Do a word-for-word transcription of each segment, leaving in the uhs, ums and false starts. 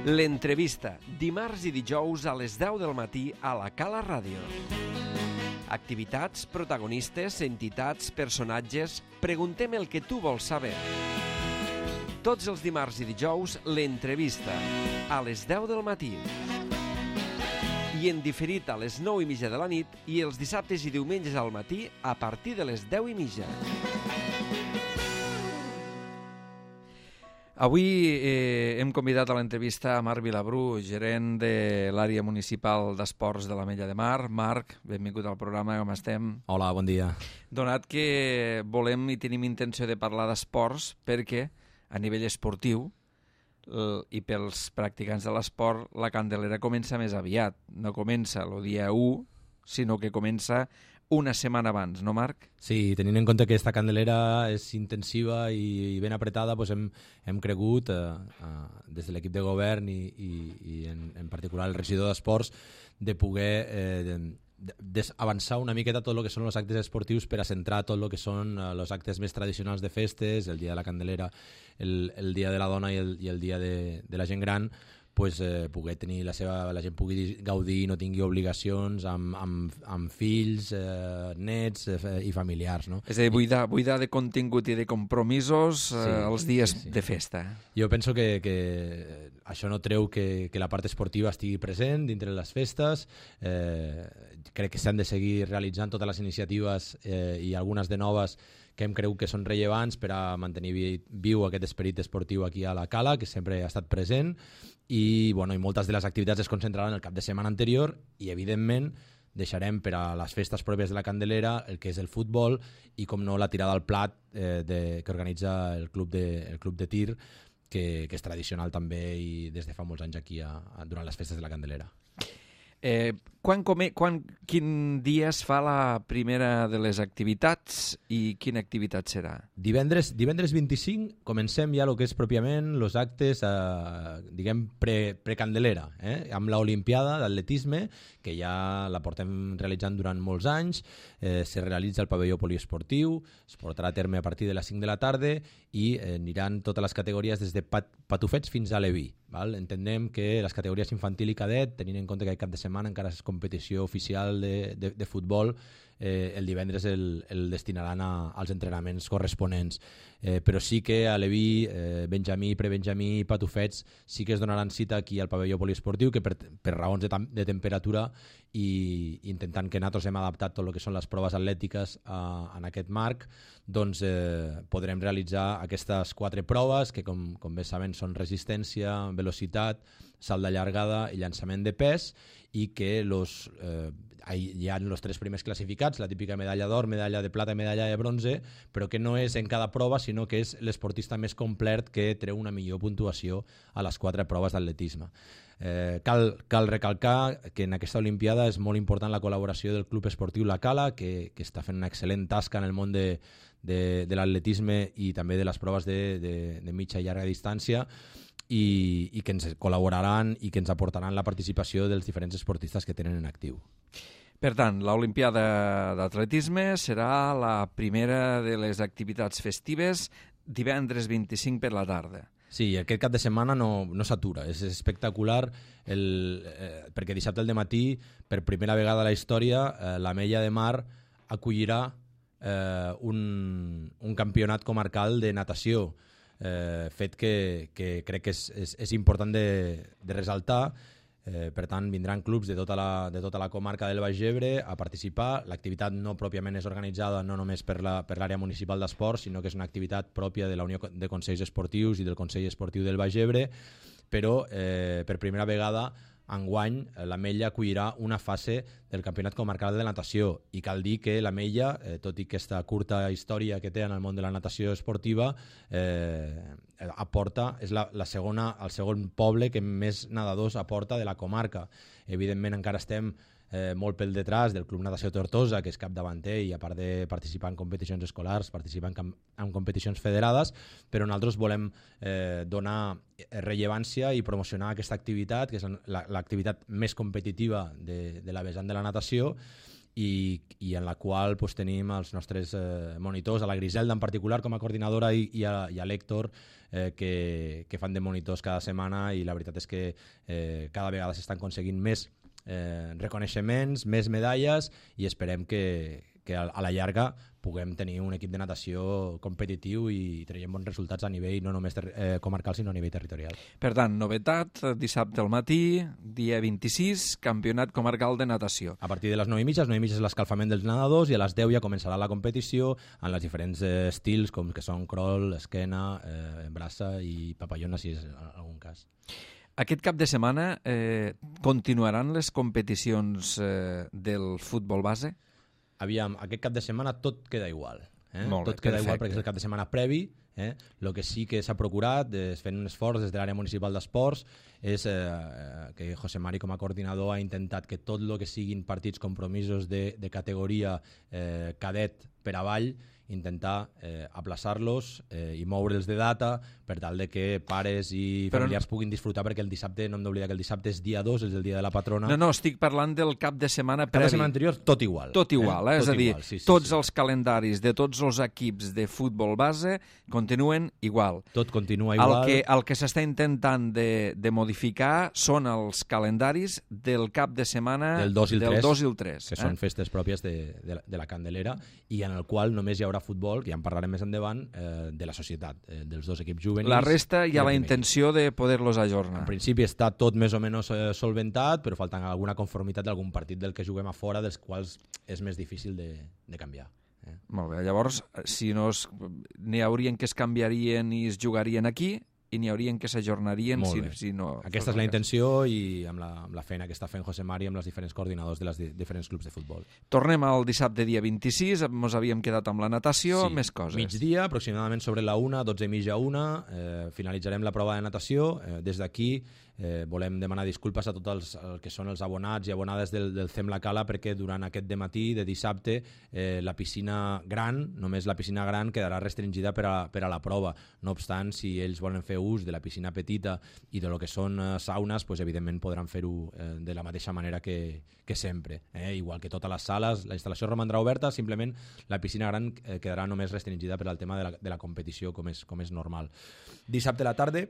L'entrevista, dimarts i dijous a les deu del matí a la Cala Ràdio. Activitats, protagonistes, entitats, personatges... Preguntem el que tu vols saber. Tots els dimarts i dijous, l'entrevista, a les deu del matí. I en diferit a les nou i mitja de la nit i els dissabtes i diumenges al matí a partir de les deu i mitja. Avui eh, hem convidat a l'entrevista a Marc Vilabrú, gerent de l'àrea municipal d'esports de l'Ametlla de Mar. Marc, benvingut al programa, com estem? Hola, bon dia. Donat que volem i tenim intenció de parlar d'esports perquè a nivell esportiu i pels practicants de l'esport la Candelera comença més aviat. No comença el dia u, sinó que comença una setmana abans, no, Marc? Sí, tenint en compte que aquesta Candelera és intensiva i, i ben apretada, doncs hem, hem cregut, eh, eh, des de l'equip de govern i, i, i en, en particular el regidor d'Esports, de poder eh, de, de, avançar una miqueta tot el que són els actes esportius per a centrar tot el que són eh, els actes més tradicionals de festes, el dia de la Candelera, el, el dia de la dona i el, i el dia de, de la gent gran, pues, eh, poder tenir la seva, la gent pugui gaudir i no tingui obligacions amb, amb, amb fills, eh, nets eh, i familiars, no? És a dir, buidar, buidar de contingut i de compromisos eh, sí, els dies sí, sí. de festa. Jo penso que, que això no treu que, que la part esportiva estigui present dintre les festes. Eh, crec que s'han de seguir realitzant totes les iniciatives eh, i algunes de noves que hem cregut que són rellevants per a mantenir viu aquest esperit esportiu aquí a la Cala, que sempre ha estat present, i, bueno, i moltes de les activitats es concentraran el cap de setmana anterior i, evidentment, deixarem per a les festes pròpies de la Candelera el que és el futbol i, com no, la tirada al plat eh, de, que organitza el club de, el club de tir, que, que és tradicional també i des de fa molts anys aquí a, a, durant les festes de la Candelera. Eh, quan, come, quan, quin dia es fa la primera de les activitats i quina activitat serà? Divendres, divendres vint-i-cinc comencem ja el que és pròpiament els actes eh, diguem pre, pre-Candelera, eh? Amb l'Olimpiada d'atletisme, que ja la portem realitzant durant molts anys, eh, se realitza al pavelló poliesportiu, es portarà a terme a partir de les cinc de la tarda i eh, aniran totes les categories des de pat, patufets fins a Leví. Val? Entenem que les categories infantil i cadet, tenint en compte que aquest cap de setmana encara és competició oficial de, de, de futbol, eh, el divendres el, el destinaran a, als entrenaments corresponents. Eh, però sí que a Leví, eh, Benjamí, Prebenjamí i Patufets sí que es donaran cita aquí al pavelló poliesportiu, que per, per raons de, de temperatura i intentant que nosaltres hem adaptat tot el que són les proves atlètiques a, en aquest marc, doncs eh, podrem realitzar aquestes quatre proves que, com, com bé saben, són resistència, velocitat, salt de llargada i llançament de pes, i que los, eh, hi ha els tres primers classificats, la típica medalla d'or, medalla de plata i medalla de bronze, però que no és en cada prova, sinó que és l'esportista més complet que treu una millor puntuació a les quatre proves d'atletisme. Eh, cal, cal recalcar que en aquesta Olimpiada és molt important la col·laboració del Club Esportiu La Cala, que, que està fent una excel·lent tasca en el món de, de, de l'atletisme i també de les proves de, de, de mitja i llarga distància, i, i que ens col·laboraran i que ens aportaran la participació dels diferents esportistes que tenen en actiu. Per tant, l'Olimpiada d'atletisme serà la primera de les activitats festives divendres vint-i-cinc per la tarda. Sí, aquest cap de setmana no, no s'atura, és espectacular el, eh, perquè dissabte al dematí, per primera vegada a la història, eh, l'Ametlla de Mar acollirà eh, un, un campionat comarcal de natació, eh, fet que, que crec que és, és, és important de, de resaltar. Eh, per tant, vindran clubs de tota, la, de tota la comarca del Baix Ebre a participar. L'activitat no pròpiament és organitzada no només per la, per l'àrea municipal d'esports, sinó que és una activitat pròpia de la Unió de Consells Esportius i del Consell Esportiu del Baix Ebre, però eh, per primera vegada enguany l'Ametlla acollirà una fase del Campionat Comarcal de Natació, i cal dir que l'Ametlla, eh, tot i aquesta curta història que té en el món de la natació esportiva, eh, aporta, és la, la segona, el segon poble que més nedadors aporta de la comarca. Evidentment encara estem eh, molt pel detrás del Club Natació Tortosa, que és capdavanter i a part de participar en competicions escolars, participa en, en competicions federades, però nosaltres volem eh, donar rellevància i promocionar aquesta activitat, que és l'activitat més competitiva de, de la vessant de la natació, i, i en la qual pues, tenim els nostres eh, monitors, a la Griselda en particular com a coordinadora i, i, a, i a l'Héctor eh, que, que fan de monitors cada setmana, i la veritat és que eh, cada vegada s'estan aconseguint més eh, reconeixements, més medalles, i esperem que, que a, a la llarga puguem tenir un equip de natació competitiu i traiem bons resultats a nivell no només ter eh, comarcal sinó a nivell territorial. Per tant, novetat, dissabte al matí, dia vint-i-sis, campionat comarcal de natació. A partir de les nou i mitja, les nou i mitja és l'escalfament dels nedadors i a les deu ja començarà la competició en els diferents eh, estils com que són crawl, esquena, eh, braça i papallona si és en algun cas. Aquest cap de setmana eh, continuaran les competicions eh, del futbol base? Aviam, aquest cap de setmana tot queda igual. Eh? Molt bé, tot queda perfecte. igual perquè és el cap de setmana previ. Eh? El que sí que s'ha procurat, es fent un esforç des de l'àrea municipal d'esports, és eh, que José Mari com a coordinador ha intentat que tot el que siguin partits compromisos de, de categoria eh, cadet per avall, intentar eh, aplaçar-los eh, i moure'ls de data per tal de que pares i Però familiars puguin disfrutar, perquè el dissabte, no hem d'oblidar que el dissabte és dia dos, és el dia de la patrona. No, no, estic parlant del cap de setmana Cada previ. setmana anterior tot igual. Tot igual, eh? eh? Tot És a dir, igual, sí, sí, tots sí. els calendaris de tots els equips de futbol base continuen igual. Tot continua El igual. que, el que s'està intentant de, de modificar són els calendaris del cap de setmana del dos i el del tres, dos i el tres, que eh? són festes pròpies de, de, la, de la Candelera, i en el qual només hi haurà futbol, que ja en parlarem més endavant, eh, de la societat, eh, dels dos equips juvenils. La resta hi i ha del la primer intenció de poder-los ajornar. En principi està tot més o menys eh, solventat, però falta alguna conformitat d'algun partit del que juguem a fora, dels quals és més difícil de, de canviar. Eh? Molt bé, llavors, si no es, n'hi haurien que es canviarien i es jugarien aquí, i n'hi haurien que s'ajornarien si, si no... Aquesta és la intenció, i amb la, amb la feina que està fent José Mari amb els diferents coordinadors de les di diferents clubs de futbol. Tornem al dissabte dia vint-i-sis, ens havíem quedat amb la natació, sí, més coses. Migdia, aproximadament sobre la una, dotze i mitja a una, eh, finalitzarem la prova de natació. Eh, des d'aquí eh, volem demanar disculpes a tots els, els que són els abonats i abonades del, del C E M La Cala, perquè durant aquest dematí de dissabte eh, la piscina gran, només la piscina gran, quedarà restringida per a, per a la prova. No obstant, si ells volen fer ús de la piscina petita i de lo que són eh, saunes, pues, evidentment podran fer-ho eh, de la mateixa manera que, que sempre. Eh? Igual que totes les sales, la instal·lació romandrà oberta, simplement la piscina gran eh, quedarà només restringida per al tema de la, de la competició, com és, com és normal. Dissabte a la tarda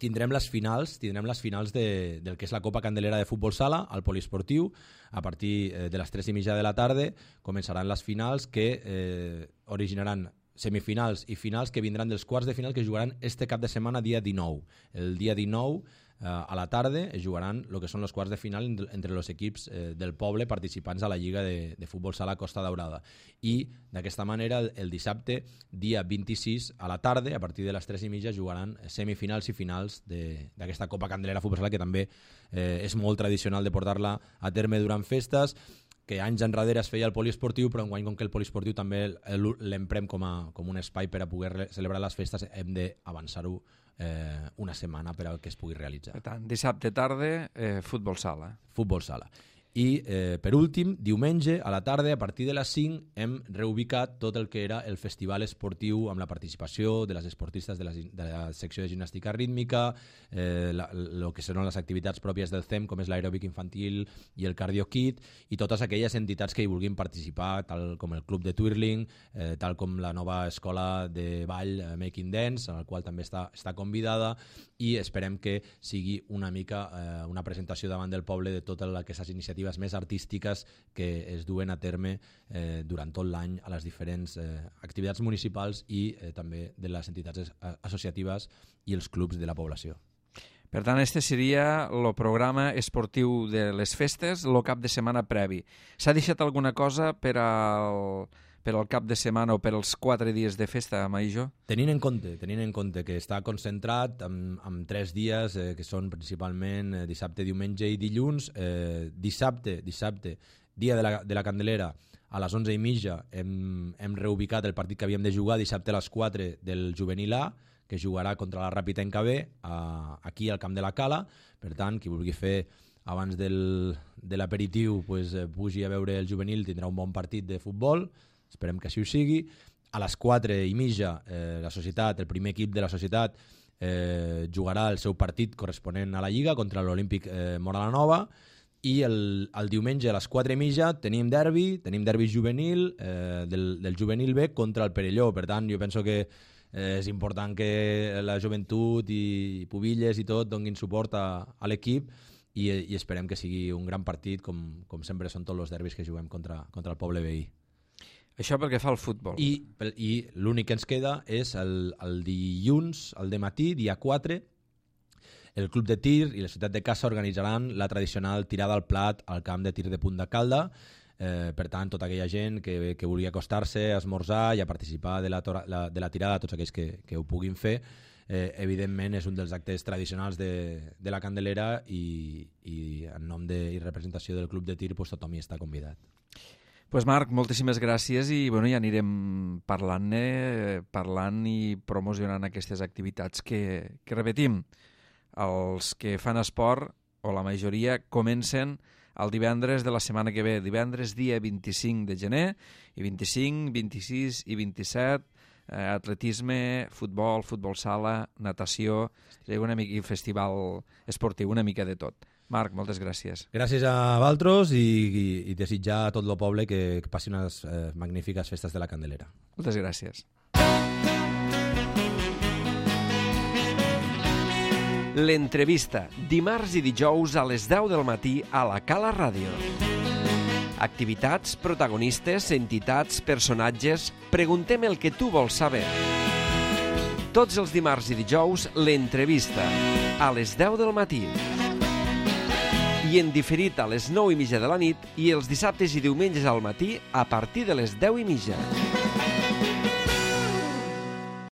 tindrem les finals, tindrem les finals de, del que és la Copa Candelera de Futbol Sala al Poliesportiu. A partir eh, de les tres i mitja de la tarda començaran les finals que eh, originaran semifinals i finals que vindran dels quarts de final que jugaran este cap de setmana dia dinou. El dia dinou eh, a la tarda es jugaran el que són els quarts de final entre els equips eh, del poble participants a la Lliga de, de Futbol Sala Costa Daurada. I d'aquesta manera el, el dissabte dia vint-i-sis a la tarda, a partir de les tres i mitja, jugaran semifinals i finals d'aquesta Copa Candelera Futbol Sala, que també eh, és molt tradicional de portar-la a terme durant festes, que anys enrere es feia el poliesportiu, però enguany, com que el poliesportiu també l'emprem com, a, com un espai per a poder celebrar les festes, hem d'avançar-ho eh, una setmana per a que es pugui realitzar. Per tant, dissabte tarda, eh, futbol sala. Futbol sala. I, eh, per últim, diumenge a la tarda, a partir de les cinc, hem reubicat tot el que era el festival esportiu amb la participació de les esportistes de la, de la secció de gimnàstica rítmica, eh, el que són les activitats pròpies del C E M, com és l'aeròbic infantil i el cardio kit, i totes aquelles entitats que hi vulguin participar, tal com el club de twirling, eh, tal com la nova escola de ball eh, Making Dance, en el qual també està, està convidada, i esperem que sigui una mica eh, una presentació davant del poble de totes aquestes iniciatives més artístiques que es duen a terme eh, durant tot l'any a les diferents eh, activitats municipals i eh, també de les entitats associatives i els clubs de la població. Per tant, este seria el programa esportiu de les festes, el cap de setmana previ. S'ha deixat alguna cosa per al, per al cap de setmana o per als quatre dies de festa, Maïjo? Tenint en compte, tenint en compte que està concentrat en, en tres dies, eh, que són principalment eh, dissabte, diumenge i dilluns. Eh, dissabte, dissabte, dia de la, de la Candelera, a les onze i mitja hem, hem reubicat el partit que havíem de jugar dissabte a les quatre del Juvenil A, que jugarà contra la Rapitenca B a, aquí al Camp de la Cala. Per tant, qui vulgui fer abans del, de l'aperitiu, pues, eh, pugi a veure el juvenil, tindrà un bon partit de futbol, esperem que així ho sigui. A les quatre i mitja eh, la societat, el primer equip de la societat eh, jugarà el seu partit corresponent a la Lliga contra l'Olímpic eh, Mora la Nova, i el, el diumenge a les quatre i mitja tenim derbi, tenim derbi juvenil eh, del, del juvenil B contra el Perelló. Per tant, jo penso que eh, és important que la joventut i Pubilles i tot donguin suport a, a l'equip i, i esperem que sigui un gran partit com, com sempre són tots els derbis que juguem contra, contra el poble veí. Això pel que fa al futbol. I, i l'únic que ens queda és el, el dilluns, el dematí, dia quatre, el Club de Tir i la ciutat de Casa organitzaran la tradicional tirada al plat al camp de tir de Punt de Calda. Eh, per tant, tota aquella gent que, que vulgui acostar-se a esmorzar i a participar de la, la, de la tirada, tots aquells que, que ho puguin fer, eh, evidentment és un dels actes tradicionals de, de la Candelera i, i en nom de, i representació del Club de Tir pues, tothom hi està convidat. Pues Marc, moltíssimes gràcies i bueno, ja anirem parlant-ne, parlant i promocionant aquestes activitats que, que repetim. Els que fan esport, o la majoria, comencen el divendres de la setmana que ve, divendres dia vint-i-cinc de gener, i vint-i-cinc, vint-i-sis i vint-i-set, eh, atletisme, futbol, futbol sala, natació, una mica, i festival esportiu, una mica de tot. Marc, moltes gràcies. Gràcies a vosaltres i, i, i desitjar a tot el poble que, que passi unes eh, magnífiques festes de la Candelera. Moltes gràcies. L'entrevista, dimarts i dijous a les deu del matí a la Cala Ràdio. Activitats, protagonistes, entitats, personatges... Preguntem el que tu vols saber. Tots els dimarts i dijous, l'entrevista, a les deu del matí. I en diferit a les nou i mitja de la nit i els dissabtes i diumenges al matí a partir de les deu i mitja.